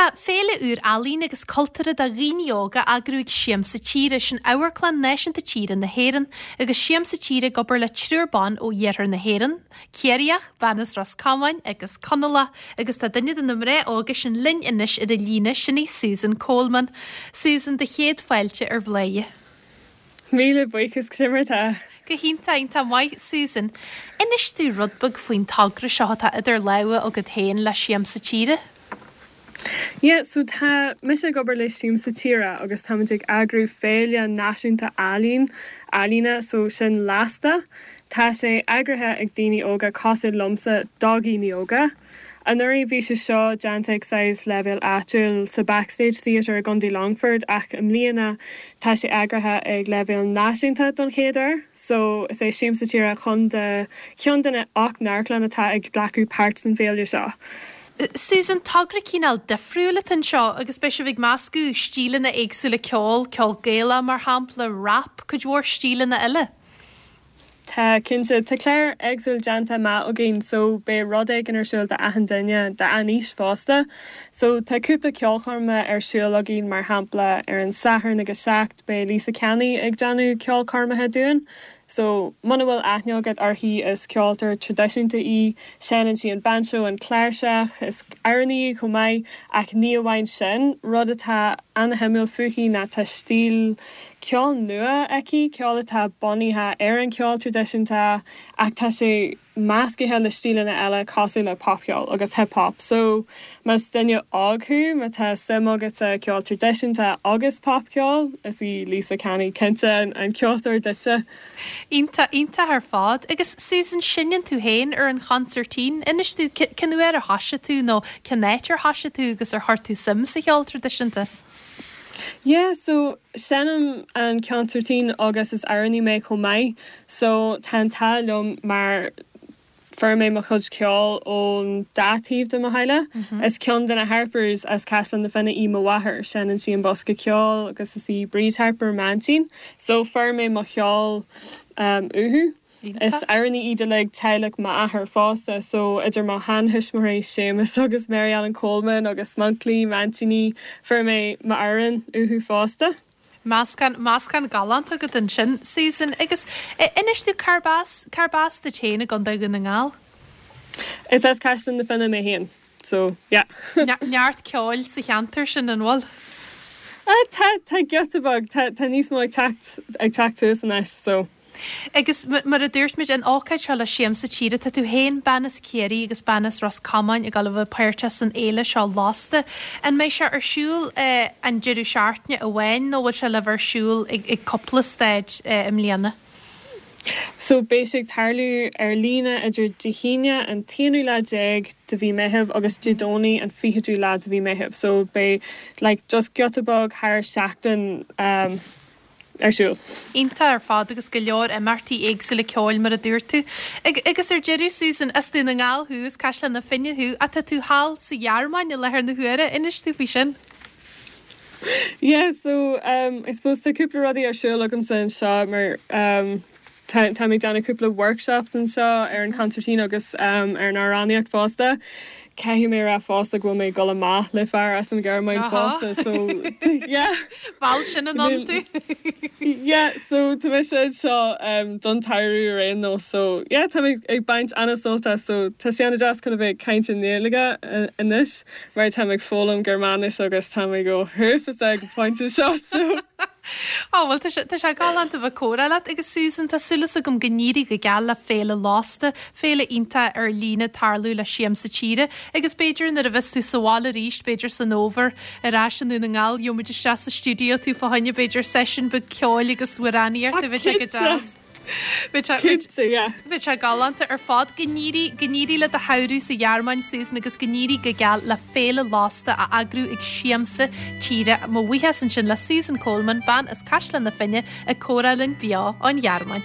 Tá féile úr ealaíon agus cultúrtha do dhaoine óga á eagrú ag Siamsa Tíre, sin Amharclann Náisiúnta Tíre na hÉireann, agus Siamsa Tíre ag obair le triúr ban ó iarthar na hÉireann, Ciarraíoch, bean as Ros Comáin agus Conallach, agus tá duine de na mná óga sin linn anois ar an líne, sin í Susan Coleman. Susan, do chéad fáilte ar Bhladhaire. Míle buíochas, cad é mar atá? Go hiontach, iontach maith, Susan. Inis domh rud beag faoin togra seo atá idir lámha agat féin le Siamsa Tíre. Yeah, so tá mise ag obair le Siamsa Tíre agus táimid ag eagrú féile náisiúnta ealaín, ealaíne, so sin Lasta. Tá sé eagraithe ag daoine óga cosúil liomsa do dhaoine óga. Anuraidh bhí sé seo déanta ag saghas leibhéal áitiúil sa Backstage Theatre i gContae Longfort ach i mbliana tá sé eagraithe ag leibhéal náisiúnta don chéad uair. So is é Siamsa Tíre chun de cheann de na 8 n-amharclann atá ag glacadh páirt san féile seo. Susan, togra cineál difriúil atá anseo agus beidh sibh ag meascadh stíleanna éagsúla ceoil, ceol Gaelach mar shampla, rap, cuid mhór stíleanna eile. Tá, cinnte. Tá clár éagsúil déanta amach againn so beidh rud éigin ar siúl d'achan duine, d'achan aois fosta. So tá cúpla ceolchoirme ar siúl againn mar shampla ar an Satharn ag a 7 beidh Lisa Canny ag déanamh ceolchoirmeacha dúinn. So muna bhfuil aithne agat uirthi is ceoltóir traidisiúnta í, seinneann sí an banjo, an cláirseach, is amhránaí í chomh maith ach ní amháin sin, rud atá ana-shuimiúil fúithi ná tá stíl ceol nua aici, ceol atá bunaithe ar an cheol traidisiúnta ach tá sé meascaithe le stíleanna eile cosúil le popcheol agus hip hop. So, más duine óg thú, má tá suim agat sa cheol traidisiúnta agus popcheol, is í Lisa Canny cinnte an ceoltóir duitse. Iontach, iontach ar fad. Agus Susan, seinneann tú féin ar an chonsairtín. Inis domh, cén uair a thoisigh tú nó cén áit ar thoisigh tú agus ar chuir tú suim sa cheol traidisiúnta? Yeah, so seinnim an consairtín agus is amhránaí mé chomh maith so tá an t-ádh liom mar fuair mé mo chuid ceoil ón dá taobh de mo theaghlach. Is ceann de na Harpers as Caisleán na Finne í mo mháthair, seinneann sí an bosca ceoil agus is í Bríd Harper m'aintín so fuair mé mo cheol uathu. Is amhránaí iad uilig teaghlach m'athar fosta, so idir mo sheantuismitheoirí Séamus agus Mary Ellen Coleman agus m'unclaí, m'aintíní, fuair mé m'amhráin uathu fosta. Meascán, meascán galánta agat ansin, Susan. Agus inis domh, cárb as, cárb as duit féin i gContae Dhún na nGall? Is as Caisleán na Finne mé féin, so yeah. Neart ceoil sa cheantar sin, an bhfuil? Tá, tá giota beag, tá, tá níos mó ag teacht, ag teacht suas anois, so. Agus mar a dúirt muid, an ócáid seo le Siamsa Tíre, tá tú féin, bean as Ciarraí agus bean as Ros Comáin ag dul a bheith páirteach san fhéile seo Lasta. An mbeidh sé ar siúl an deireadh seachtaine amháin nó bhfuil sé le bheith ar siúl ag cúpla staid i mbliana? So beidh sé ag tarlú ar líne idir Dé hAoine an t-aonú lá déag de mhí Meitheamh agus Dé Domhnaigh an fichiú lá de mhí Meitheamh. So beidh like just giota beag thar seachtain ar siúl. Iontach ar fad agus go leor imeachtaí éagsúla ceoil mar a dúirt tú. Agus ar deireadh Susan, as Dún na nGall thú, as Caisleán na Finne thú, ach tá tú thall sa Ghearmáin i láthair na huaire, inis domh faoi sin. Yeah so um I suppose tá cúpla rudaí ar siúl agamsa anseo mar um tá táim ag déanamh cúpla workshops anseo ar an concertina agus um ar an amhránaíocht fosta. Caithfidh mé a rá fosta go bhfuil mé ag dul amach le fear as an Ghearmáin fosta so yeah. Mheall sin anonn tú. Yeah so tá mise anseo um don tsamhradh ar aon nós so yeah tá mé ag baint an-sult as so tá sé an-deas chun a bheith ag caint i nGaeilge anois mar táim ag foghlaim Gearmáinis agus tá mé go huafásach ag an phointe seo so. Ó, bhuel, tá sé, tá sé galánta a bheith ag comhrá leat agus Susan, tá súil agam go n-éirí go geal le Féile Lasta, féile iontach ar líne ag tarlú le Siamsa Tíre agus b'fhéidir nuair a bheas tú sa bhaile arís, b'fhéidir san fhómhar, ar ais i nDún na nGall, gheobhaimid isteach sa stiúideo tú fá choinne b'fhéidir seisiún beag ceoil agus amhránaíochta, bheadh sé go deas. Cinnte, yeah. Bheadh sé galánta ar fad. Go n-éirí, go n-éirí le do shamhradh sa Ghearmáin, Susan, agus go n-éirí go geal le Féile Lasta á eagrú ag Siamsa Tíre. Mo bhuíochas ansin le Susan Coleman, bean as Caisleán na Finne, ag comhrá linn beo ón Ghearmáin.